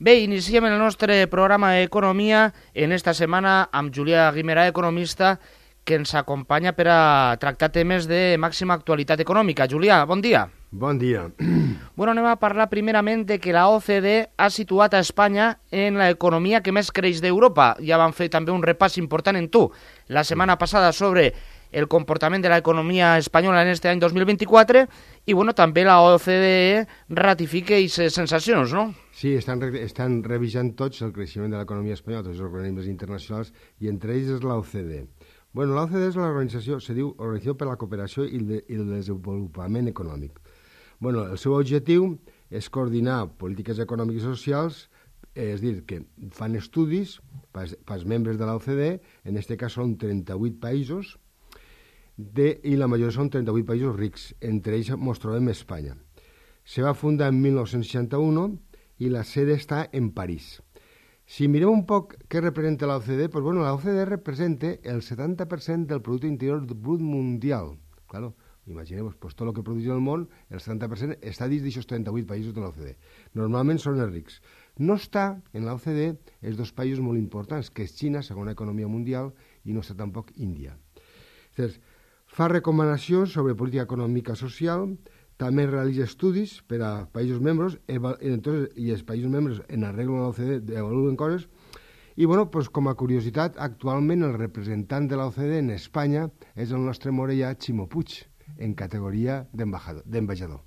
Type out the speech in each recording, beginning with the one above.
Bé, iniciem el nostre programa d'Economia en esta setmana amb Julià Guimerà, economista, que ens acompanya per a tractar temes de màxima actualitat econòmica. Julià, bon dia. Bon dia. Bueno, anem a parlar primerament de que la OCDE ha situat a Espanya en l'economia que més creix d'Europa. Ja van fer també un repàs important en tu la setmana passada sobre el comportament de l'economia espanyola en este any 2024 i, bueno, també la OCDE ratifica aquestes sensacions, no? Sí, estan revisant tots el creixement de l'economia espanyola, tots els organismes internacionals, i entre ells és l'OCDE. Bueno, l'OCDE és l'organització, se diu Organització per la Cooperació i el Desenvolupament Econòmic. Bueno, el seu objectiu és coordinar polítiques econòmiques i socials, és dir, que fan estudis pels membres de l'OCDE, en aquest cas són 38 països, i la majoria són 38 països rics, entre ells ens trobem Espanya. Se va fundar en 1961 i la sede està en París. Si mirem un poc què representa l'OCDE, doncs bueno, l'OCDE representa el 70% del Producte Interior Brut Mundial. Claro, imagineu-vos, pues, tot el que produeix el món, el 70% està dins d'aquests 38 països de l'OCDE. Normalment són els rics. No està en l'OCDE els dos països molt importants, que és Xina, segona economia mundial, i no està tampoc Índia. Llavors, fa recomanacions sobre política econòmica social, també realitza estudis per a països membres, i els països membres en arreglo de l'OCDE evaluen coses. I, bueno, pues, com a curiositat, actualment el representant de l'OCDE en Espanya és el nostre morellà Ximo Puig, en categoria d'ambaixador.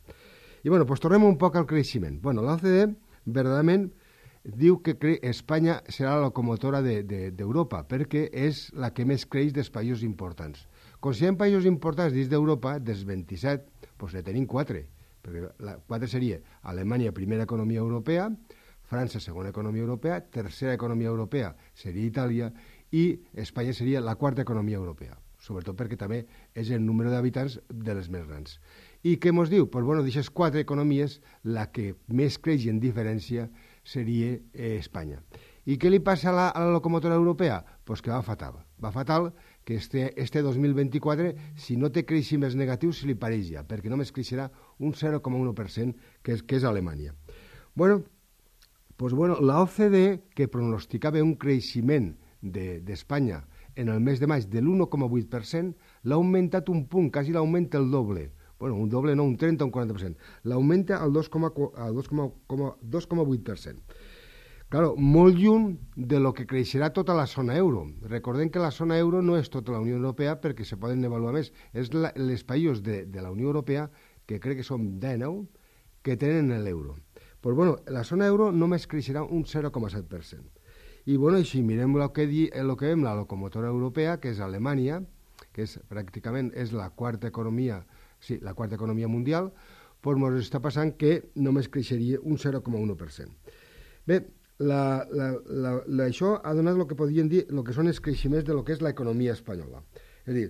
I, bueno, pues, tornem un poc al creixement. Bueno, l'OCDE, verdaderament, diu que Espanya serà la locomotora d'Europa, perquè és la que més creix dels països importants. Considerem països importants dins d'Europa, dels 27, doncs ne tenim 4, perquè 4 seria Alemanya, primera economia europea, França, segona economia europea, tercera economia europea seria Itàlia, i Espanya seria la quarta economia europea, sobretot perquè també és el número d'habitants de les més grans. I què ens diu? Doncs, bueno, d'aquestes 4 economies, la que més creix en diferència seria Espanya. I què li passa a la locomotora europea? Doncs que va fatal. Va fatal que este 2024, si no té creixements negatius, se li pareix ja, perquè només creixerà un 0,1%, que és Alemanya. Bueno, la OCDE, que pronosticava un creixement d'Espanya en el mes de maig de l'1,8%, l'ha augmentat un punt, quasi l'augmenta el doble. Bueno, un doble no, un 30 o un 40%. L'augmenta al 2,8%. Claro, molt lluny de lo que creixerà tota la zona euro. Recordem que la zona euro no és tota la Unió Europea perquè se poden avaluar més. És els països de la Unió Europea, que crec que són 19, que tenen l'euro. Pues bueno, la zona euro només creixerà un 0,7%. I bueno, si mirem el que veiem la locomotora europea, que és Alemanya, que és pràcticament la quarta economia, la quarta economia mundial, doncs ens està passant que només creixeria un 0,1%. Bé, això ha donat el que podríem dir el que són els creixements de lo que és l'economia espanyola. És a dir,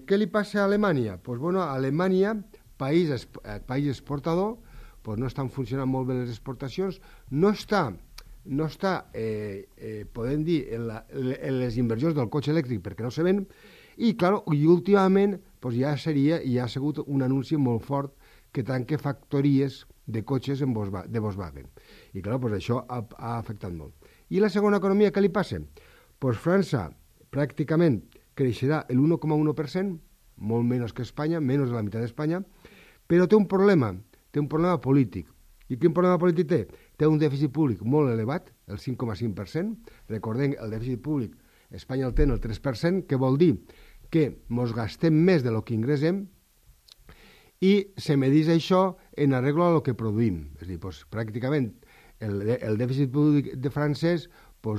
què li passa a Alemanya? Doncs bueno, a Alemanya, país exportador, doncs no estan funcionant molt bé les exportacions, no està podem dir, en les inversions del cotxe elèctric perquè no se ven, i últimament doncs ja ha sigut un anunci molt fort que tanca factories de cotxes de Volkswagen. I doncs això ha afectat molt. I la segona economia, què li passa? Doncs França pràcticament creixerà l'1,1%, molt menys que Espanya, menys de la meitat d'Espanya, però té un problema polític. I quin problema polític té? Té un dèficit públic molt elevat, el 5,5%. Recordem, el dèficit públic Espanya el té el 3%, que vol dir que ens gastem més del que ingressem, i se medeix això en arreglo a lo que produïm. És a dir, doncs, pràcticament el dèficit públic de francès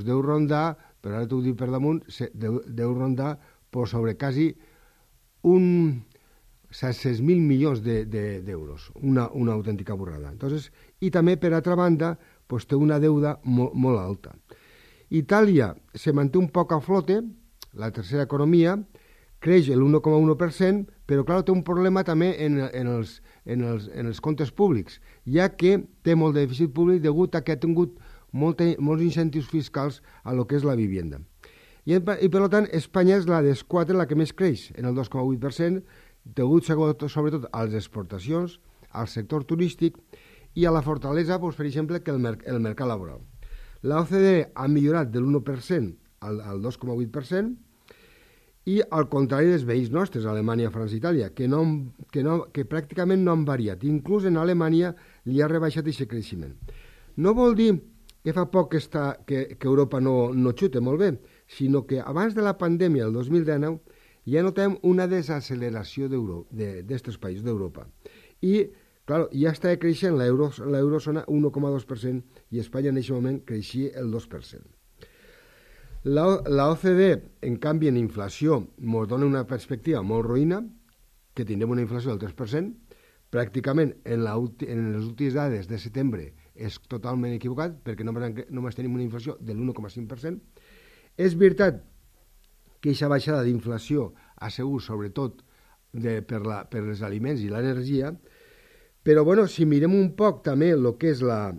deu rondar, però ara t'ho dic per damunt, deu rondar sobre quasi 600.000 milions d'euros, una autèntica borrada. Entonces, i també, per altra banda, té una deuda molt alta. Itàlia se manté un poc a flote, la tercera economia, creix l'1,1%, però clar, té un problema també en els comptes públics, ja que té molt de dèficit públic degut a que ha tingut molts incentius fiscals a lo que és la vivienda. I per tant, Espanya és la dels 4 la que més creix, en el 2,8%, degut sobretot a les exportacions, al sector turístic i a la fortalesa, doncs, per exemple, que el mercat laboral. La OCDE ha millorat de l'1% al 2,8%, i al contrari dels veïns nostres, Alemanya, França i Itàlia, que pràcticament no han variat. Inclús en Alemanya li ha rebaixat aquest creixement. No vol dir que fa poc que Europa no xuta molt bé, sinó que abans de la pandèmia, el 2019, ja notem una desacceleració d'aquests països d'Europa. I, clar, ja està creixent l'eurozona 1,2% i Espanya en aquest moment creixia el 2%. La OCDE, en canvi, en inflació, ens dona una perspectiva molt roïna, que tindrem una inflació del 3%, pràcticament en les últimes dades de setembre és totalment equivocat, perquè només tenim una inflació de l'1,5%. És veritat que aquesta baixada d'inflació ha sigut sobretot per els aliments i l'energia, però bueno, si mirem un poc també el que és la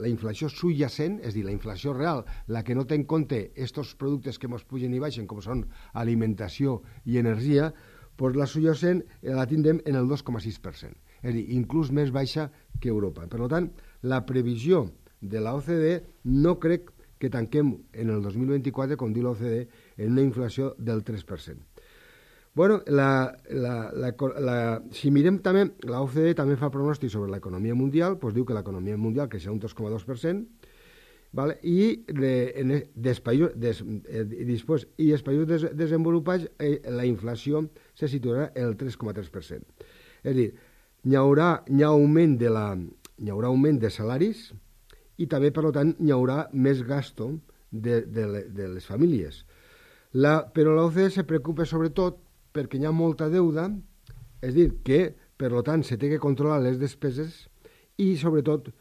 inflació subjacent, és a dir, la inflació real, la que no té en compte aquests productes que ens pugen i baixen, com són alimentació i energia, doncs la subjacent la tindrem en el 2,6%, és a dir, inclús més baixa que Europa. Per tant, la previsió de la OCDE no crec que tanquem en el 2024, com diu la OCDE, en una inflació del 3%. Bueno, si mirem també, la OCDE també fa pronòstic sobre l'economia mundial, doncs diu que l'economia mundial creixerà un 2,2%, vale? I els països desenvolupats la inflació se situarà en el 3,3%. És a dir, hi haurà augment de salaris i també, per tant, hi haurà més gasto de les famílies. Però l'OCDE se preocupa sobretot perquè hi ha molta deuda, és dir, que, per tant, se té que controlar les despeses i, sobretot,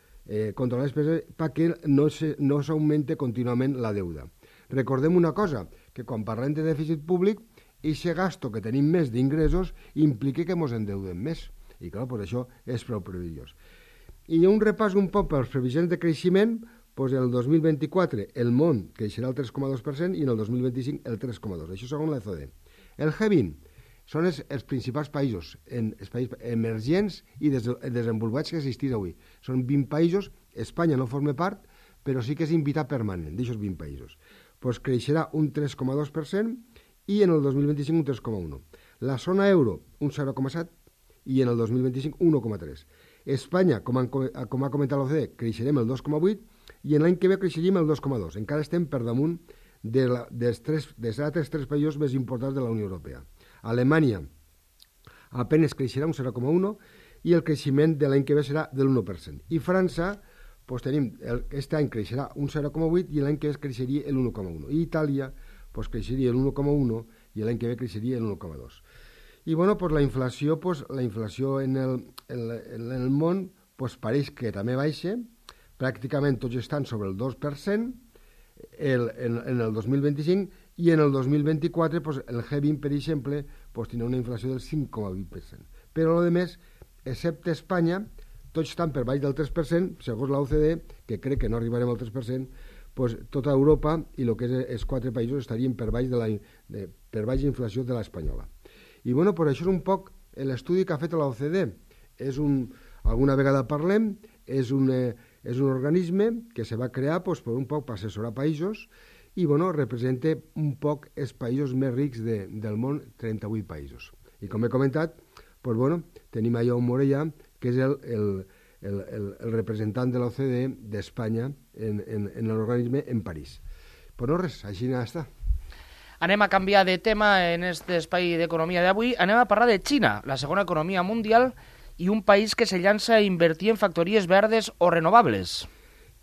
controlar les despeses perquè no s'augmente contínuament la deuda. Recordem una cosa, que quan parlem de dèficit públic, aquest gasto que tenim més d'ingressos implica que ens endeudem més. I, clar, per això és prou perillós. I un repàs un poc pels previsions de creixement, doncs el 2024 el món creixerà el 3,2% i en el 2025 el 3,2%. Això segons la OCDE. El G20 són els principals països emergents i desenvolupats que existís avui. Són 20 països, Espanya no forma part, però sí que és invitat permanent d'aquests 20 països. Doncs creixerà un 3,2% i en el 2025 un 3,1%. La zona euro un 0,7% i en el 2025 1,3%. Espanya, com ha comentat l'OCDE, creixerem el 2,8% i en l'any que ve creixeríem el 2,2%. Encara estem per damunt dels altres tres països més importants de la Unió Europea. Alemanya apenas creixerà un 0,1% i el creixement de l'any que ve serà del 1%. I França, doncs aquest any creixerà un 0,8% i l'any que ve creixeria el 1,1%. I Itàlia, doncs creixeria el 1,1% i l'any que ve creixeria el 1,2%. I bueno, doncs la inflació en el món pareix que també baixa, pràcticament tots estan sobre el 2%, en el 2025 i en el 2024 el G20, per exemple, tindrà una inflació del 5,8%. Però el més, excepte Espanya, tots estan per baix del 3%, segons la OCDE, que crec que no arribarem al 3%, tota Europa i el que és els quatre països estarien per baix d'inflació de l'espanyola. I bueno, per això és un poc l'estudi que ha fet la OCDE. Alguna vegada parlem, és un organisme que se va crear per un poc per assessorar països i representa un poc els països més rics del món, 38 països. I com he comentat, tenim a Jaume Morellà, que és el representant de l'OCDE d'Espanya en l'organisme en París. Però no res, així està. Anem a canviar de tema en aquest espai d'economia d'avui. Anem a parlar de Xina, la segona economia mundial i un país que se llança a invertir en factories verdes o renovables.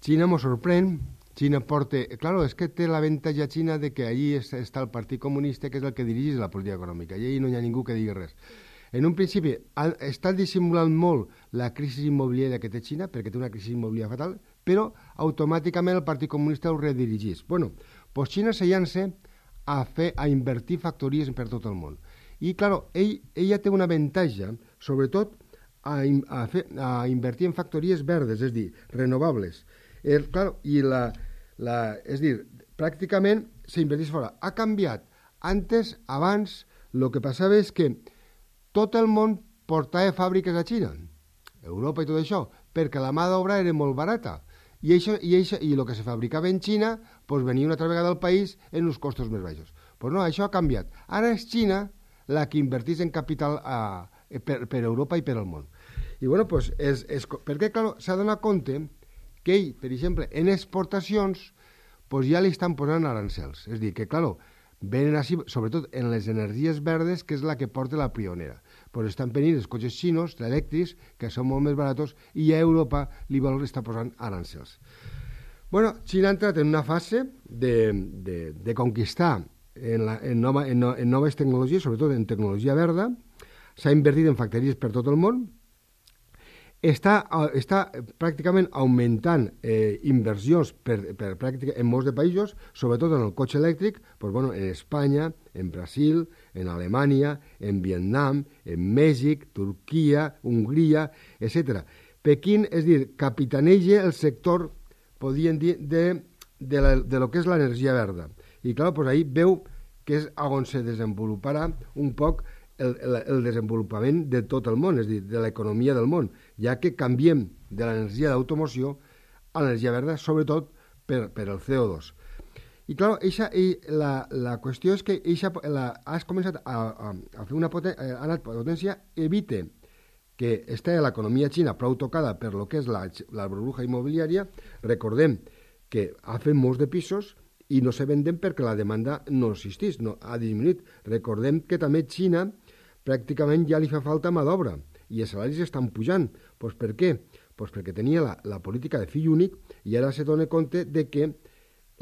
Xina ens sorprèn. Xina porta... Claro, és que té l'avantatge Xina de que allí està el Partit Comunista, que és el que dirigeix la política econòmica, i allí no hi ha ningú que digui res. En un principi, està dissimulant molt la crisi immobiliària que té Xina, perquè té una crisi immobiliària fatal, però automàticament el Partit Comunista ho redirigeix. Bueno, doncs Xina se llança a invertir factories per tot el món. I, clar, ella té un avantatge, sobretot, a invertir en factories verdes, és a dir, renovables. És dir, pràcticament s'inverteix fora. Ha canviat. Abans, el que passava és que tot el món portava fàbriques a Xina. Europa i tot això, perquè la mà d'obra era molt barata. I el que se fabricava en Xina pues, venia una altra vegada al país en uns costos més baixos. Pues no, això ha canviat. Ara és Xina la que invertís en capital per Europa i per al món. I bueno, pues, perquè clar, s'ha donat compte que ell, per exemple, en exportacions pues, ja li estan posant arancels. És a dir, que clar, venen així, sobretot en les energies verdes, que és la que porta la pionera. Pues estan venint els cotxes xinos, elèctrics, que són molt més baratos, i a Europa li vol estar posant arancels. Bueno, Xina ha entrat en una fase de conquistar en noves tecnologies, sobretot en tecnologia verda, s'ha invertit en factories per tot el món, està pràcticament augmentant inversions en molts de països, sobretot en el cotxe elèctric, pues, bueno, en Espanya, en Brasil, en Alemanya, en Vietnam, en Mèxic, Turquia, Hongria, etc. Pequín, és dir, capitaneja el sector, podríem dir, de lo que és l'energia verda. I clar, pues, ahí veu que és on se desenvoluparà un poc el desenvolupament de tot el món, és a dir, de l'economia del món, ja que canviem de l'energia d'automoció a l'energia verda, sobretot per el CO2. I clar, la qüestió és que has començat a fer una potència, evita que està l'economia xina prou tocada per lo que és la burbuja immobiliària. Recordem que ha fet molts de pisos i no se venden perquè la demanda no existeix, no, ha disminuït. Recordem que també Xina pràcticament ja li fa falta mà d'obra i els salaris estan pujant. Pues per què? Pues perquè tenia la política de fill únic i ara se dona compte de que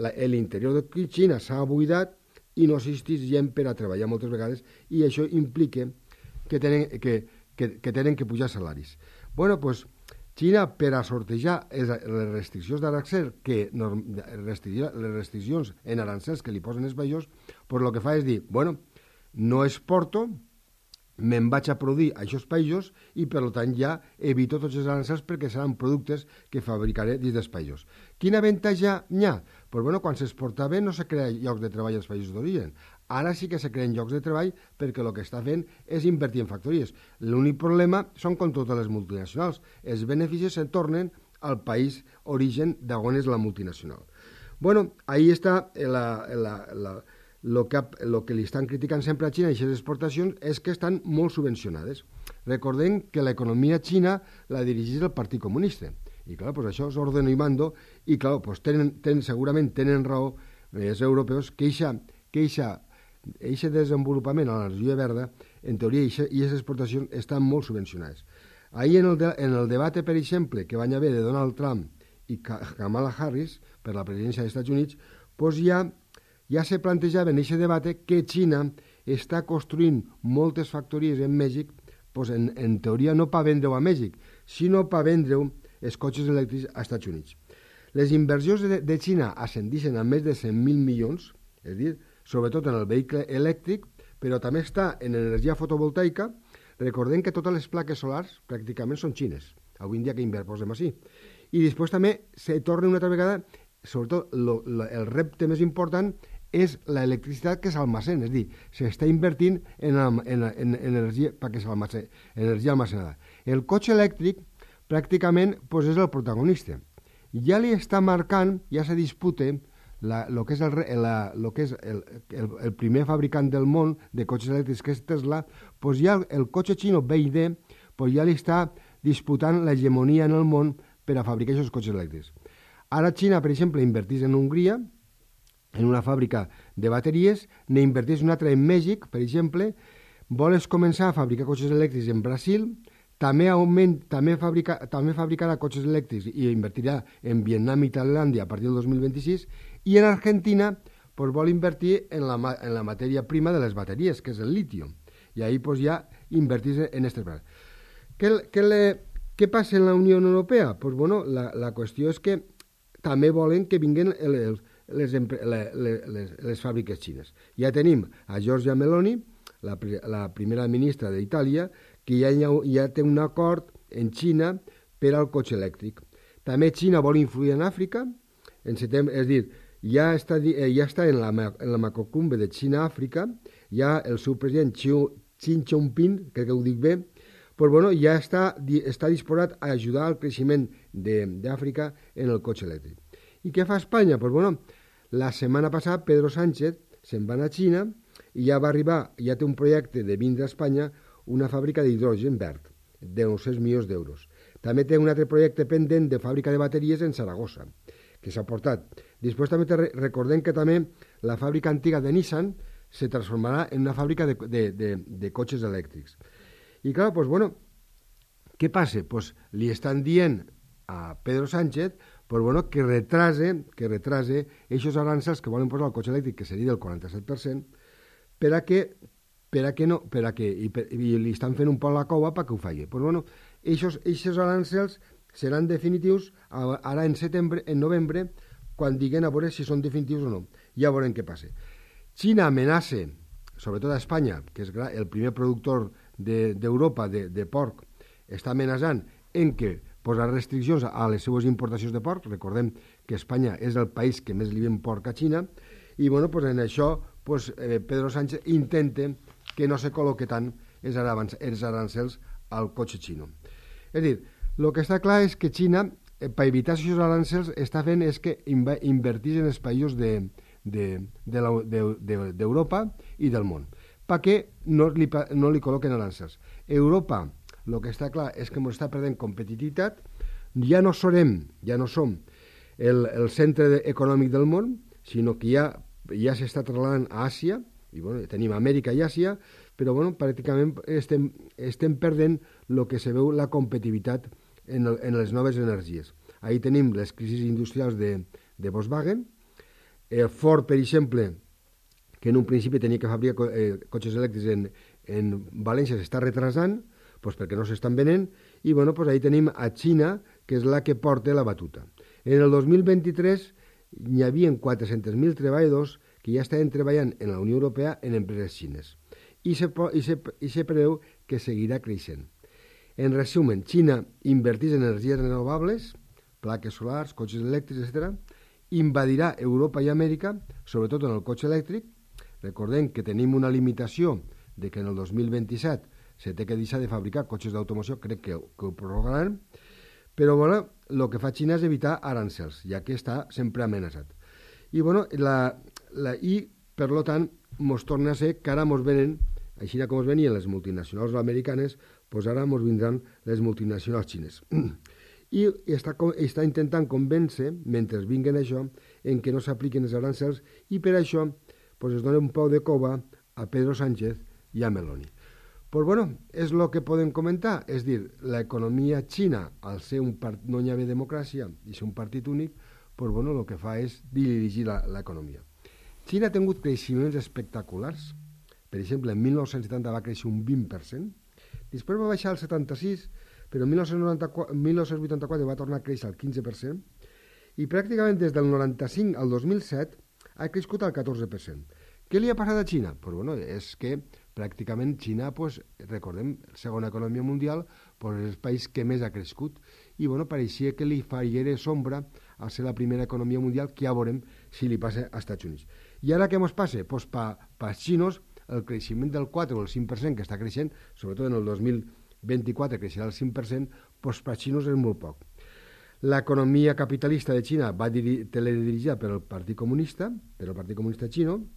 l'interior de Xina s'ha buidat i no existeix gent per a treballar moltes vegades i això implica que tenen que pujar salaris. Bueno, pues Xina, per a sortejar les restriccions d'arancels, les restriccions en arancels que li posen els països, pues el que fa és dir, bueno, no exporto, me'n vaig a produir a aquests països i per tant ja evito tots els arancels perquè seran productes que fabricaré dins dels països. Quin avantatge hi ha? Pues bueno, quan s'exportava no se crea llocs de treball als països d'origen. Ara sí que se creen llocs de treball perquè el que està fent és invertir en factories. L'únic problema són com totes les multinacionals. Els beneficis se tornen al país origen d'on és la multinacional. Bueno, ahí està el que li estan criticant sempre a Xina i aquestes exportacions és que estan molt subvencionades. Recordem que l'economia xina la dirigeix el Partit Comunista i clar, pues això és ordeno i mando i clar, pues segurament tenen raó els europeus que aquest desenvolupament a l'energia verda, en teoria, i aquestes exportacions estan molt subvencionades. Ahir en el debat, per exemple, que van haver de Donald Trump i Kamala Harris per la presidència dels Estats Units, pues ja se plantejava en aquest debat que Xina està construint moltes factories en Mèxic, pues en teoria no per vendre-ho a Mèxic, sinó per vendre-ho els cotxes elèctrics als Estats Units. Les inversions de Xina ascendeixen a més de 100.000 milions, és a dir, sobretot en el vehicle elèctric, però també està en energia fotovoltaica. Recordem que totes les plaques solars pràcticament són xines, avui en dia que posem així. I després també se torna una altra vegada, sobretot el repte més important és l'electricitat que s'almacena, és a dir, s'està invertint en energia perquè s'almacena, energia almacenada. El cotxe elèctric pràcticament pues, és el protagonista. Ja li està marcant, ja se disputa el que és el primer fabricant del món de cotxes elèctrics, que és Tesla, pues ja el cotxe xino BYD pues ja li està disputant l'hegemonia en el món per a fabricar aquests cotxes elèctrics. Ara Xina, per exemple, invertís en Hongria, en una fàbrica de bateries, n'invertís una altra en Mèxic, per exemple, vols començar a fabricar cotxes elèctrics en Brasil, també fabricarà cotxes elèctrics i invertirà en Vietnam i Tailàndia a partir del 2026, i en Argentina pues, vol invertir en la matèria prima de les bateries, que és el litio, i ahí pues, ja invertís en aquestes coses. Què passa en la Unió Europea? Pues, bueno, la qüestió és que també volen que vinguin les fàbriques xines. Ja tenim a Giorgia Meloni, la primera ministra d'Itàlia, que ja té un acord en Xina per al cotxe elèctric. També Xina vol influir en Àfrica, en setembre, és a dir, ja està en la macrocumbre de Xina-Àfrica, ja el seu president Xi Jinping, crec que ho dic bé, pues bueno, ja està disposat a ajudar al creixement d'Àfrica en el cotxe elèctric. I què fa Espanya? Pues bueno, la setmana passada Pedro Sánchez se'n va anar a Xina i ja va arribar, ja té un projecte de vindre a Espanya una fàbrica d'hidrogen verd de 900 milions d'euros. També té un altre projecte pendent de fàbrica de bateries en Saragossa, que s'ha portat. Després també recordem que també la fàbrica antiga de Nissan se transformarà en una fàbrica de cotxes elèctrics. I clar, doncs bueno, què passa? Pues li estan dient a Pedro Sánchez pues bueno, que retrase aquests aranzels que volen posar al cotxe elèctric, que seria del 47%, i li estan fent un poc la cova perquè ho faci. Pues bueno, aquests aranzels seran definitius ara en novembre, quan diguen a veure si són definitius o no. Ja veurem què passa. Xina amenaça, sobretot a Espanya, que és el primer productor d'Europa de porc, està amenaçant en què posar restriccions a les seues importacions de porc. Recordem que Espanya és el país que més li ven porc a Xina, i bueno, pues en això pues, Pedro Sánchez intenta que no se col·loque tant els arancels al cotxe xino. És a dir, el que està clar és que Xina, per evitar aquests arancels, està fent és que invertís en els països d'Europa i del món, perquè no li col·loquen arancels. Europa, el que està clar és que ens està perdent competitivitat, ja no som el centre econòmic del món, sinó que ja s'està trasladant a Àsia, i bueno, tenim Amèrica i Àsia, però bueno, pràcticament estem perdent el que se veu la competitivitat en les noves energies. Ahí tenim les crisis industrials de Volkswagen, Ford, per exemple, que en un principi tenia que fabricar cotxes elèctrics en València, s'està retrasant, pues perquè no s'estan venent, i bueno, pues ahí tenim a Xina, que és la que porta la batuta. En el 2023 hi havia 400.000 treballadors que ja estaven treballant en la Unió Europea en empreses xines, i se preveu que seguirà creixent. En resumen, Xina inverteix en energies renovables, plaques solars, cotxes elèctrics, etc., invadirà Europa i Amèrica, sobretot en el cotxe elèctric. Recordem que tenim una limitació de que en el 2027 se té que deixar de fabricar cotxes d'automoció, crec que ho prorrogaran, però bueno, el que fa Xina és evitar arancels, ja que està sempre amenaçat. I bueno, per tant, ens torna a ser que ara ens venen, així com ens venien les multinacionals americanes, doncs ara ens vindran les multinacionals xines. I està intentant convèncer, mentre vinguen això, en que no s'apliquen els arancels, i per això es dona un poc de cova a Pedro Sánchez i a Meloni. Pues bueno, és el que podem comentar, és dir, l'economia xina, al ser no hi haver democràcia i ser un partit únic, pues bueno, el que fa és dirigir l'economia. Xina ha tingut creixements espectaculars. Per exemple, en 1970 va créixer un 20%, després va baixar al 76%, però en 1984 va tornar a créixer al 15%, i pràcticament des del 95 al 2007 ha crescut al 14%. Què li ha passat a Xina? Pues bueno, és que pràcticament Xina, recordem, segona economia mundial, és el país que més ha crescut, i bueno, pareixia que li faria sombra a ser la primera economia mundial, que ja veurem si li passa als Estats Units. I ara què ens passa? Pues pels xinos, el creixement del 4 o el 5% que està creixent, sobretot en el 2024 creixerà el 5%, doncs per als xinos és molt poc. L'economia capitalista de Xina va teledirigida pel Partit Comunista, xino,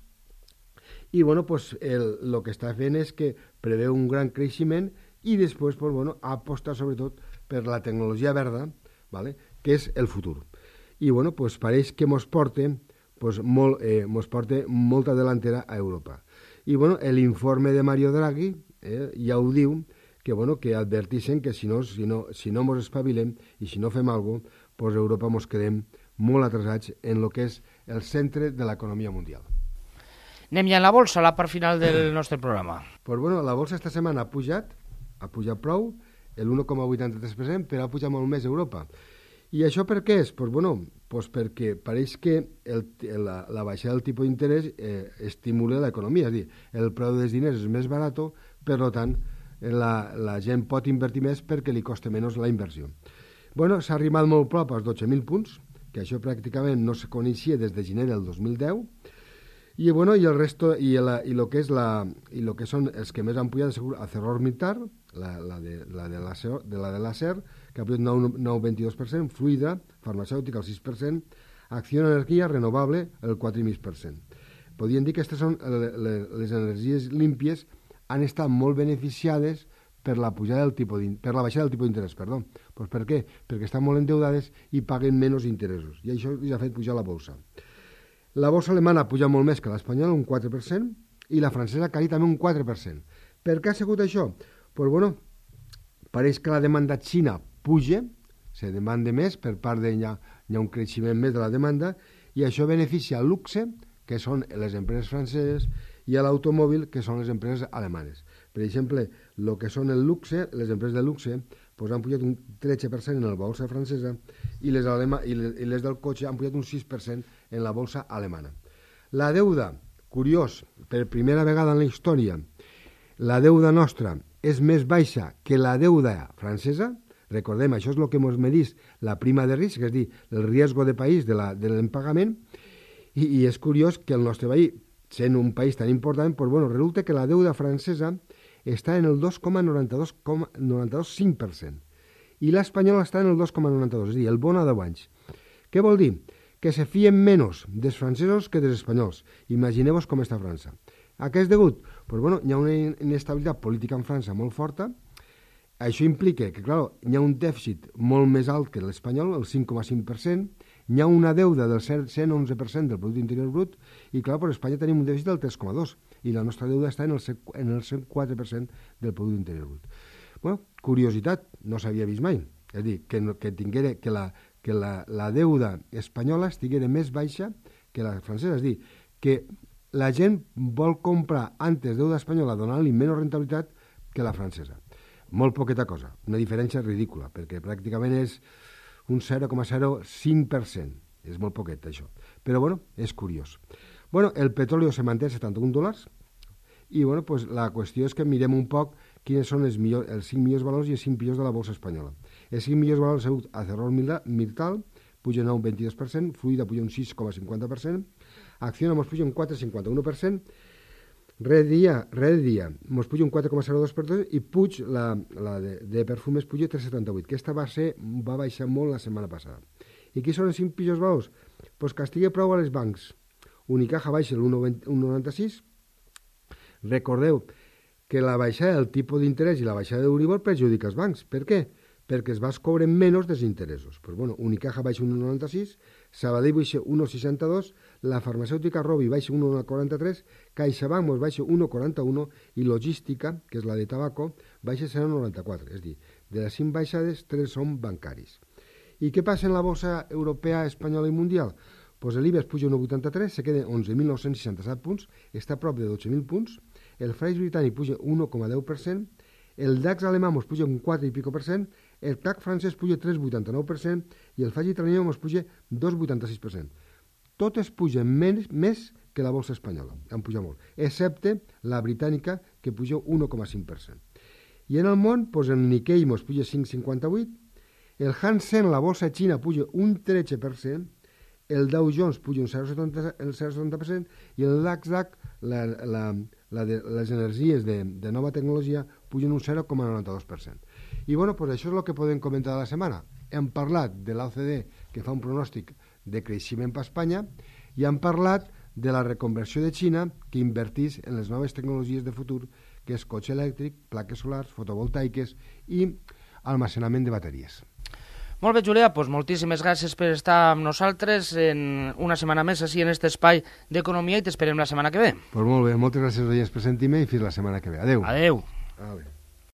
i bueno, el que està fent és que preveu un gran creixement i després aposta sobretot per la tecnologia verda, ¿vale?, que és el futur. I bueno, pareix que ens porta molta delantera a Europa. I bueno, l'informe de Mario Draghi ja ho diu, que adverteixen que si no ens espavilem i si no fem alguna cosa, Europa ens quedem molt atrasats en el que és el centre de l'economia mundial. Anem ja a la bolsa, la part final del nostre programa. Pues bueno, la bolsa esta setmana ha pujat prou, el 1,83%, però ha pujat molt més a Europa. I això per què és? Pues perquè pareix que la baixada del tipus d'interès estimula l'economia, és a dir, el preu dels diners és més barat, per tant, la gent pot invertir més perquè li costa menys la inversió. Bueno, s'ha arribat molt prop als 12.000 punts, que això pràcticament no se coneixia des de gener del 2010, i bueno, i el resto, i lo que són els que més han pujat, ArcelorMittal, la de l'acer, que ha pujat 9,22%, Fluida, farmacèutica, el 6%, Acció Energia Renovable, el 4,5%. Podríem dir que aquestes són les energies límpies, han estat molt beneficiades per la baixada del tipus d'interès. Pues per què? Perquè estan molt endeudades i paguen menys interessos. I això els ha fet pujar la bolsa. La borsa alemana puja molt més que l'espanyola, un 4%, i la francesa caí també un 4%. Per què ha sigut això? Pues bueno, pareix que la demanda xina puja, se demanda més, per part hi ha un creixement més de la demanda, i això beneficia al luxe, que són les empreses franceses, i a l'automòbil, que són les empreses alemanes. Per exemple, el que són el luxe, les empreses de luxe, pues han pujat un 13% en la bolsa francesa i les del cotxe han pujat un 6% en la bolsa alemana. La deuda, curiós, per primera vegada en la història, la deuda nostra és més baixa que la deuda francesa. Recordem, això és el que ens medís la prima de risc, és a dir, el riesgo de país de l'impagament, i és curiós que el nostre país, sent un país tan important, pues bueno, resulta que la deuda francesa està en el 2,95% i l'espanyola està en el 2,92%, és a dir, el bon a 10 anys. Què vol dir? Que se fien menys dels francesos que dels espanyols. Imagineu-vos com està França. A què és degut? Pues bueno, hi ha una inestabilitat política en França molt forta. Això implica que, clar, hi ha un dèficit molt més alt que l'espanyol, el 5,5%, hi ha una deuda del 111% del producte interior brut, i clar, per Espanya tenim un dèficit del 3,2%, i la nostra deuda està en el 104% del producte interior brut. Bueno, curiositat, no s'havia vist mai. És a dir, que la deuda espanyola estiguera més baixa que la francesa. És a dir, que la gent vol comprar antes deuda espanyola donant-li menys rentabilitat que la francesa. Molt poqueta cosa, una diferència ridícula, perquè pràcticament és un 0,05%. És molt poquet, això. Però, bueno, és curiós. Bueno, el petroli se manté a $71, i, bueno, pues, la qüestió és que mirem un poc quins són els 5 millors valors i els 5 millors de la bolsa espanyola. Els 5 millors valors han sigut Acerrós Mittal, puja 9,22%, Fluida puja un 6,50%, Acciona mos puja un 4,51%, Red Dia mos puja un 4,02% i Puig, la de perfumes, puja 3,78%, que aquesta va baixar molt la setmana passada. I qui són els 5 pitjors valors? Pues que estigui prou a les bancs. Unicaja baixa l'1,96%. Recordeu que la baixada del tipus d'interès i la baixada d'Euribor perjudica els bancs. Per què? Perquè es vas cobren menys dels interessos. Pues bueno, Unicaja baixa 1,96%, Sabadell baixa 1,62%, la farmacèutica Rovi baixa 1,43%, CaixaBank mos baixa 1,41% i Logística, que és la de tabaco, baixa 0,94%. És a dir, de les 5 baixades, 3 són bancaris. I què passa en la bolsa europea, espanyola i mundial? Pues l'IBEX puja 1,83%, se queda 11.967 punts, està a prop de 12.000 punts, el FTSE britànic puja 1,10%, el DAX alemà mos puja un 4 i pico per cent, el CAC francès puja 3,89% i el FTSE italià mos puja 2,86%. Totes pugen més que la bolsa espanyola, han pujat molt, excepte la britànica, que puja 1,5%. I en el món, pues el Nikkei mos puja 5,58%, el Hansen, la bolsa xina, puja un 13%, el Dow Jones puja un 0,70% i el Nasdaq, les energies de nova tecnologia, pugen un 0,92%. I bueno, pues això és el que podem comentar de la setmana. Hem parlat de l'OCDE, que fa un pronòstic de creixement per Espanya, i hem parlat de la reconversió de Xina, que invertís en les noves tecnologies de futur, que és cotxe elèctric, plaques solars, fotovoltaiques i almacenament de bateries. Molt bé, Julià, doncs moltíssimes gràcies per estar amb nosaltres en una setmana més així en aquest espai d'economia i t'esperem la setmana que ve. Doncs molt bé, moltes gràcies a per sentir-me i fins la setmana que ve. Adéu. Adéu. Adéu.